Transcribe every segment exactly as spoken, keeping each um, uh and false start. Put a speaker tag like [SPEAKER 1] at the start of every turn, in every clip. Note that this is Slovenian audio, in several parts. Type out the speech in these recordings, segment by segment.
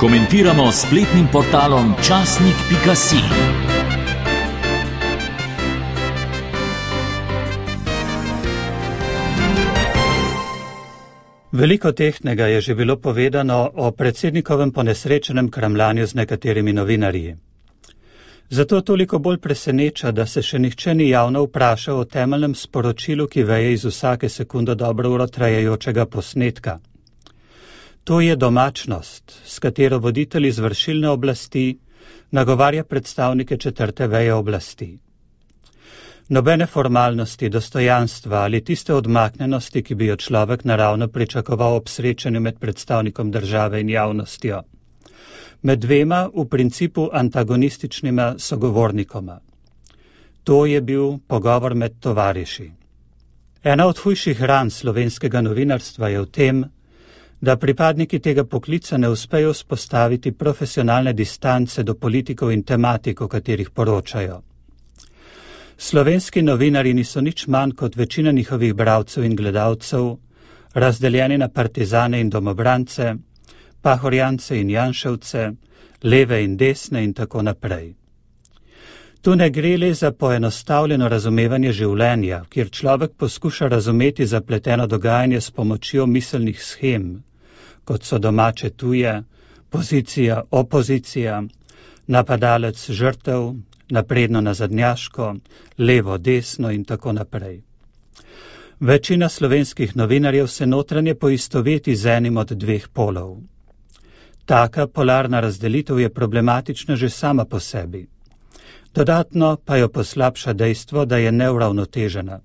[SPEAKER 1] Komentiramo s spletnim portalom časnik pika si.
[SPEAKER 2] Veliko tehtnega je že bilo povedano o predsednikovem ponesrečenem kramljanju z nekaterimi novinarji. Zato toliko bolj preseneča, da se še nihče ni javno vprašal o temeljnem sporočilu, ki veje iz vsake sekundo dobro uro trajajočega posnetka. To je domačnost, s katero voditelj izvršilne oblasti nagovarja predstavnike četrte veje oblasti. Nobene formalnosti, dostojanstva ali tiste odmaknjenosti, ki bi jo človek naravno pričakoval ob srečanju med predstavnikom države in javnostjo. Med dvema v principu antagonističnima sogovornikoma. To je bil pogovor med tovariši. Ena od hujših ran slovenskega novinarstva je v tem, da pripadniki tega poklica ne uspejo vzpostaviti profesionalne distance do politikov in tematik, o katerih poročajo. Slovenski novinarji niso nič manj kot večina njihovih bralcev in gledalcev, razdeljeni na partizane in domobrance, pahorjance in janševce, leve in desne in tako naprej. Tu ne gre le za poenostavljeno razumevanje življenja, kjer človek poskuša razumeti zapleteno dogajanje s pomočjo miselnih shem, kot so domače tuje, pozicija, opozicija, napadalec žrtev, napredno nazadnjaško, levo, desno in tako naprej. Večina slovenskih novinarjev se notranje poistoveti z enim od dveh polov. Taka polarna razdelitev je problematična že sama po sebi. Dodatno pa jo poslabša dejstvo, da je neuravnotežena.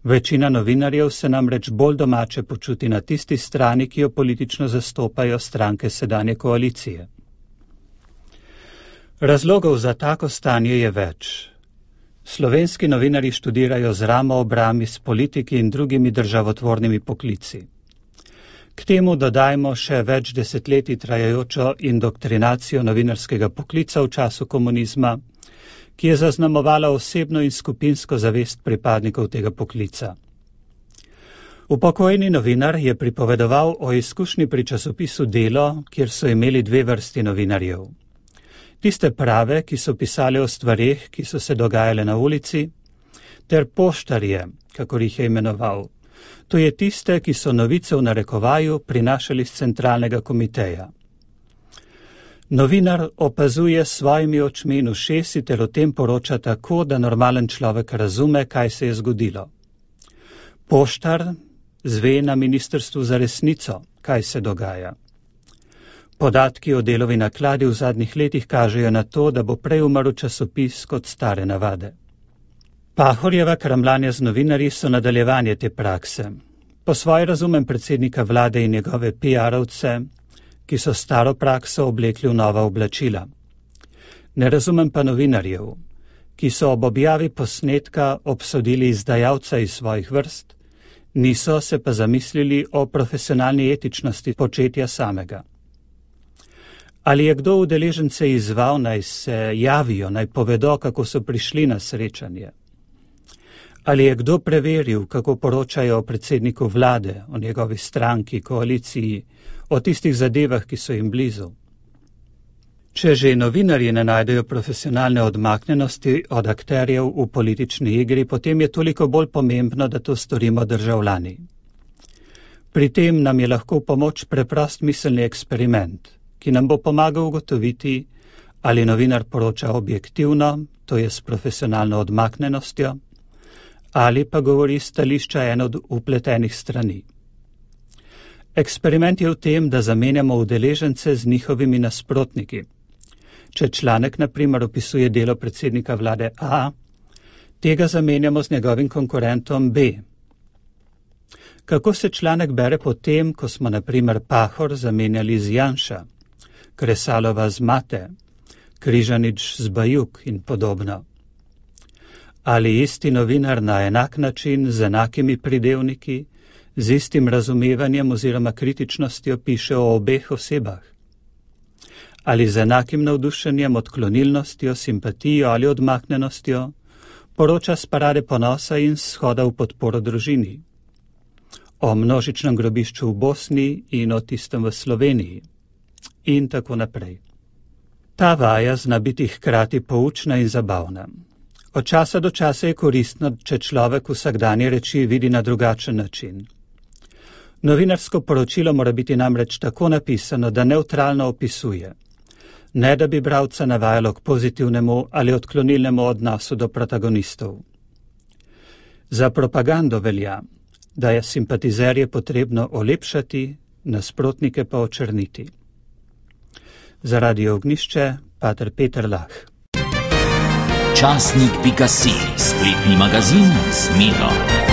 [SPEAKER 2] Večina novinarjev se namreč bolj domače počuti na tisti strani, ki jo politično zastopajo stranke sedanje koalicije. Razlogov za tako stanje je več. Slovenski novinarji študirajo z ramo ob rami s politiki in drugimi državotvornimi poklici. K temu dodajmo še več desetletij trajajočo indoktrinacijo novinarskega poklica v času komunizma, ki je zaznamovala osebno in skupinsko zavest pripadnikov tega poklica. Upokojeni novinar je pripovedoval o izkušnji pri časopisu Delo, kjer so imeli dve vrsti novinarjev. Tiste prave, ki so pisali o stvareh, ki so se dogajale na ulici, ter poštarje, kakor jih je imenoval. To je tiste, ki so novice v narekovaju prinašali z centralnega komiteja. Novinar opazuje s svojimi očmi in ušesi ter o tem poroča tako, da normalen človek razume, kaj se je zgodilo. Poštar zve na ministrstvu za resnico, kaj se dogaja. Podatki o Delovi nakladi v zadnjih letih kažejo na to, da bo prej umrl časopis kot stare navade. Pahorjeva kramljanja z novinarji so nadaljevanje te prakse. Po svoje razumem predsednika vlade in njegove pi arovce, ki so staro prakso oblekli v nova oblačila. Ne razumem pa novinarjev, ki so ob objavi posnetka obsodili izdajalca iz svojih vrst, niso se pa zamislili o profesionalni etičnosti početja samega. Ali je kdo udeležence izval, naj se javijo, naj povedo, kako so prišli na srečanje? Ali je kdo preveril, kako poročajo o predsedniku vlade, o njegovi stranki, koaliciji, o tistih zadevah, ki so jim blizu? Če že novinarji ne najdejo profesionalne odmaknjenosti od akterjev v politični igri, potem je toliko bolj pomembno, da to storimo državljani. Pri tem nam je lahko v pomoč preprost miselni eksperiment, ki nam bo pomagal ugotoviti, ali novinar poroča objektivno, to je s profesionalno odmaknjenostjo, ali pa govori stališča eno od upletenih strani. Eksperiment je v tem, da zamenjamo udeležence z njihovimi nasprotniki. Če članek na primer opisuje delo predsednika vlade A, tega zamenjamo z njegovim konkurentom B. Kako se članek bere potem, ko smo na primer Pahor zamenjali z Janša, Kresalova z Mate, Križanič z Bajuk in podobno? Ali isti novinar na enak način, z enakimi pridevniki, z istim razumevanjem oziroma kritičnostjo piše o obeh osebah? Ali z enakim navdušenjem, odklonilnostjo, simpatijo ali odmaknjenostjo poroča s parade ponosa in shoda v podporo družini? O množičnem grobišču v Bosni in o tistem v Sloveniji? in tako naprej. Ta vaja zna biti hkrati poučna in zabavna. Od časa do časa je koristno, če človek vsakdanje reči vidi na drugačen način. Novinarsko poročilo mora biti namreč tako napisano, da nevtralno opisuje, ne da bi bralca navajalo k pozitivnemu ali odklonilnemu odnosu do protagonistov. Za propagando velja, da je simpatizerje potrebno olepšati, nasprotnike pa očrniti. Za Radio Ognjišče, pater Peter Lah.
[SPEAKER 1] Časnik pika si, spletni magazin z Miro.